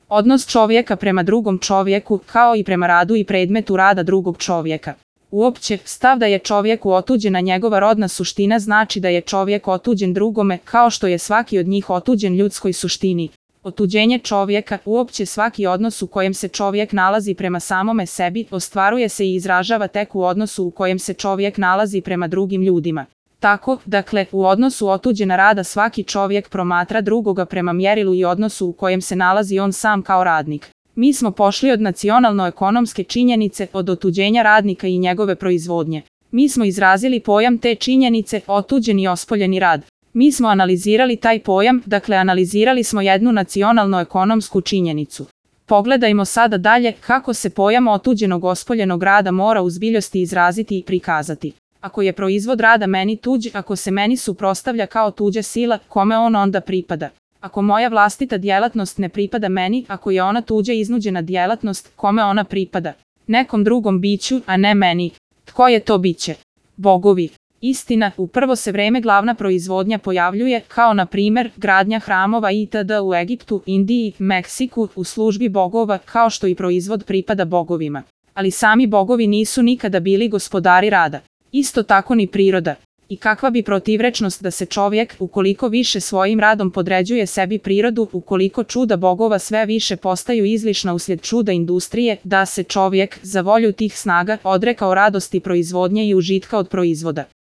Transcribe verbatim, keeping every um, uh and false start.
Odnos čovjeka prema drugom čovjeku, kao i prema radu i predmetu rada drugog čovjeka. Uopće, stav da je čovjeku otuđena njegova rodna suština znači da je čovjek otuđen drugome, kao što je svaki od njih otuđen ljudskoj suštini. Otuđenje čovjeka, uopće svaki odnos u kojem se čovjek nalazi prema samome sebi, ostvaruje se i izražava tek u odnosu u kojem se čovjek nalazi prema drugim ljudima. Tako, dakle, u odnosu otuđena rada svaki čovjek promatra drugoga prema mjerilu i odnosu u kojem se nalazi on sam kao radnik. Mi smo pošli od nacionalno-ekonomske činjenice, od otuđenja radnika i njegove proizvodnje. Mi smo izrazili pojam te činjenice, otuđeni i ospoljeni rad. Mi smo analizirali taj pojam, dakle analizirali smo jednu nacionalno-ekonomsku činjenicu. Pogledajmo sada dalje kako se pojam otuđenog ospoljenog rada mora u zbiljosti izraziti i prikazati. Ako je proizvod rada meni tuđ, ako se meni suprotstavlja kao tuđa sila, kome on onda pripada? Ako moja vlastita djelatnost ne pripada meni, ako je ona tuđa iznuđena djelatnost, kome ona pripada? Nekom drugom biću, a ne meni. Tko je to biće? Bogovi. Istina, u prvo se vreme glavna proizvodnja pojavljuje, kao na primjer, gradnja hramova itd. U Egiptu, Indiji, Meksiku, u službi bogova, kao što i proizvod pripada bogovima. Ali sami bogovi nisu nikada bili gospodari rada. Isto tako ni priroda. I kakva bi protivrečnost da se čovjek, ukoliko više svojim radom podređuje sebi prirodu, ukoliko čuda bogova sve više postaju izlišna uslijed čuda industrije, da se čovjek, za volju tih snaga, odrekao radosti proizvodnje i užitka od proizvoda.